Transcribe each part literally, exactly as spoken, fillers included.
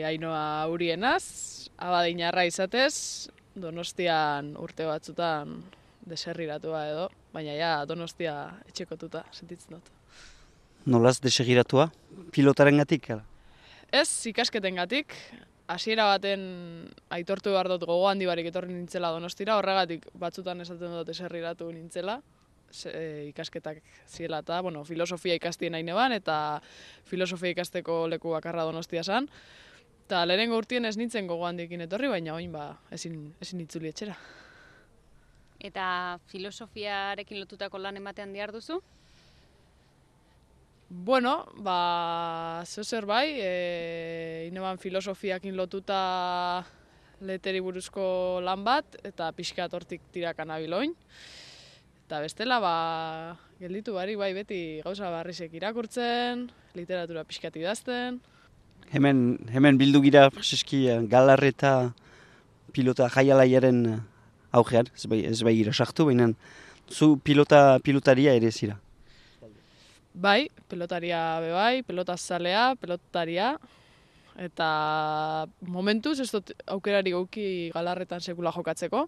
Ainhoa Urienaz, abadinarra izatez, Donostian urte batzutan deserriratua edo, baina ja Donostia etxekotuta sentitzen dut. Nolaz desegiratua? Pilotarengatik? ala? Ez ikasketengatik, hasiera baten aitortu behar dut gogo handi barik etorri nintzela Donostira, horregatik batzutan esaten dut deserriratu nintzela, ze, e, ikasketak ziela eta, bueno, filosofia ikastien nahi neban, eta filosofia ikasteko leku bakarra Donostia zen. Eta lehenengo urtien ez nintzen gogo handiekin etorri, baina oin ba, ezin, ezin itzuli etxera. Eta filosofiarekin lotutako lan ematean dihar duzu? Bueno, ba, zer bai, e, ineban filosofiakin lotuta leteri buruzko lan bat, eta pixkat hortik tiraka nabiloin. Eta bestela, ba, gelditu bari bai beti gauza barrizek irakurtzen, literatura pixkat idazten. Hemen, hemen bildu gira, preseski, galarre eta pilota jaialaiaren augean, ez bai, ez bai gira sartu, baina zu pilota, pilotaria ere zira. Bai, pelotaria be bai, pelotazalea, pelotaria, eta momentuz ez dut aukerari gauki galarretan sekula jokatzeko,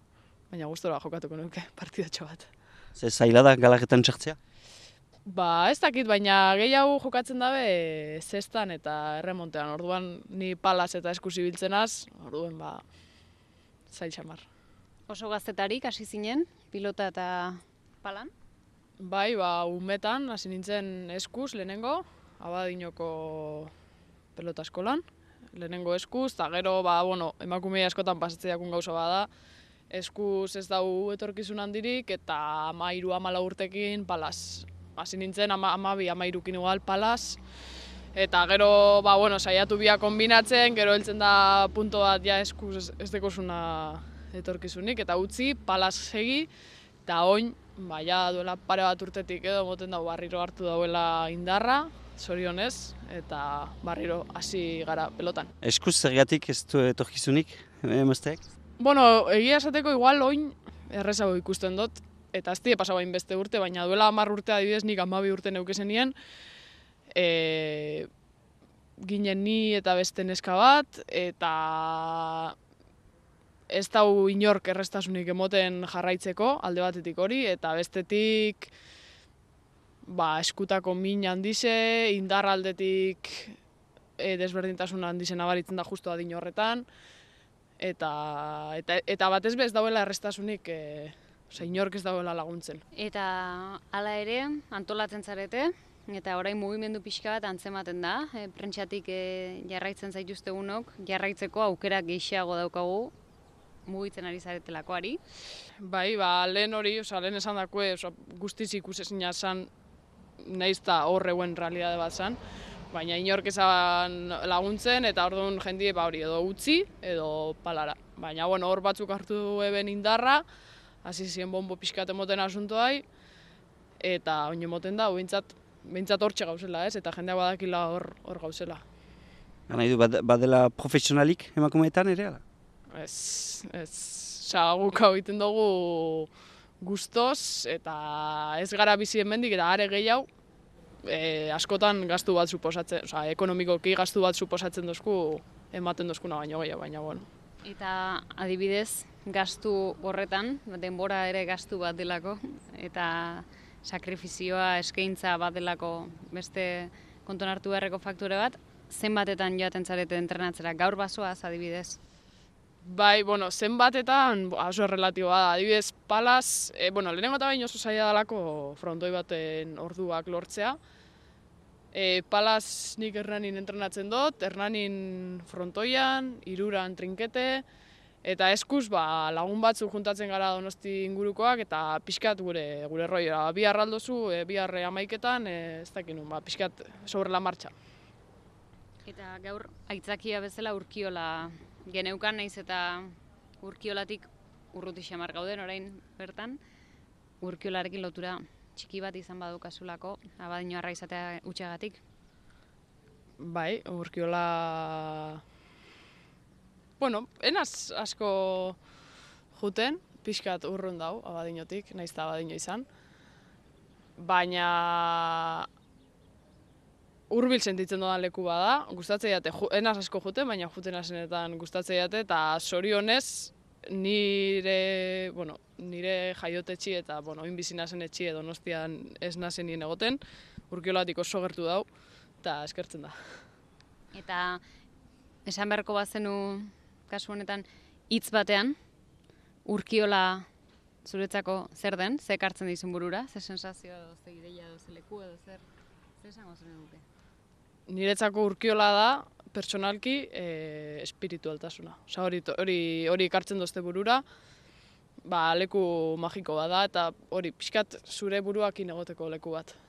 baina gustora jokatuko nuke partidatxo bat. Ze zaila da galarretan sartzea? Ba, ez dakit, baina gehiago jokatzen dabe zestan eta erremontean. Orduan ni palaz eta eskuz ibiltzenaz, orduen ba, zail xamar. Oso gaztetarik hasi zinen, pilota eta palan? Bai, ba, umetan hasi nintzen eskuz lehenengo, Abadinoko pelota eskolan. Lehenengo eskuz, eta gero, ba, bueno, emakumea askotan pasatzeiakun gauza bada, eskuz ez dau etorkizun handirik, eta amairu amala urtekin palaz. Hasi nintzen ama, amabi, amairukin igual palaz, eta gero, ba, bueno, saiatu bia kombinatzen, gero heltzen da punto bat ja eskuz ez, ez dekozuna etorkizunik, eta utzi, palaz segi, eta oin, ba, ja duela pare bat urtetik edo, moten dago barriro hartu dauela indarra, zorionez, eta barriro hasi gara pelotan. Eskuz zergatik ez du etorkizunik, emazteak? Bueno, egia esateko igual oin errezago ikusten dut, eta ez die pasabain beste urte, baina duela hamar urte adibidez nik hamabi urte neukezenien, e, ginen ni eta beste neska bat, eta ez dau inork errestasunik emoten jarraitzeko, alde batetik hori, eta bestetik ba, eskutako min handize, indar aldetik e, desberdintasun handizen abaritzen da justu adin horretan, eta, eta, eta batez bez dauela errestasunik e, Osa, inork ez dagoela laguntzen. Eta hala ere, antolatzen zarete, eta orain mugimendu pixka bat antzematen da, e, prentsatik e, jarraitzen zaituztegunok, jarraitzeko aukera gehiago daukagu mugitzen ari zaretelakoari. Bai, ba, lehen hori, osa, lehen esan dakue, osa, guztiz ikusezina zan, nahiz eta horreuen realidade bat zan, baina inork ezan laguntzen, eta orduan jendie ba hori edo utzi, edo palara. Baina, bueno, hor batzuk hartu eben indarra, hasi ziren bombo pixkat emoten asuntoai, eta oin emoten da, behintzat, behintzat hortxe gauzela, ez? Eta jendeak badakila hor, hor gauzela. Nahi du, bad, badela profesionalik emakumeetan ere? Ala? Ez, ez, oza, guk hau egiten dugu gustoz, eta ez gara bizi hemendik eta are gehiago, e, askotan gastu bat suposatzen, oza, ekonomikoki gastu bat suposatzen dozku, ematen dozkuna baino gehiago, baina, bueno. Eta adibidez, gastu horretan, denbora ere gastu bat delako, eta sakrifizioa, eskaintza bat delako beste konton hartu beharreko faktore bat, zenbatetan joaten zarete entrenatzera, gaur basoaz adibidez? Bai, bueno, zenbatetan oso relatiboa da, adibidez palaz, e, bueno, lehenengo eta bain oso zaila dalako frontoi baten orduak lortzea. E, palaz nik Hernanin entrenatzen dut, Hernanin frontoian, Hiruran trinkete, eta eskuz ba, lagun batzuk juntatzen gara Donosti ingurukoak, eta pixkat gure gure roia. Bi arraldozu, e, bi arre amaiketan, e, ez dakinun, ba, pixkat sobre la marcha. Eta gaur aitzakia bezala Urkiola geneukan, naiz eta Urkiolatik urruti xamar gauden orain bertan, Urkiolarekin lotura txiki bat izan badukasulako, Abadino arra izatea utxagatik? Bai, Urkiola... Bueno, enaz asko juten, pixkat urrun dau Abadinotik, nahiz eta Abadino izan. Baina... hurbil sentitzen dodan leku bada, gustatzen jate, enaz asko juten, baina juten asenetan gustatzen jate, eta zorionez nire, bueno, nire jaiotetxi eta, bueno, oin bizi nazen etxi edo Donostian ez nazen nien egoten, Urkiolatik oso gertu dau, eta eskertzen da. Eta esan beharko bazenu, kasu honetan, hitz batean, Urkiola zuretzako zer den, ze ekartzen dizun burura, ze sensazio edo, ze ideia edo, ze leku edo, zer, zer esango zen duke? Niretzako Urkiola da, pertsonalki, e, espiritualtasuna. Osa, hori, hori, hori ekartzen dozte burura, ba, leku magiko bada, eta hori, pixkat zure buruakin egoteko leku bat.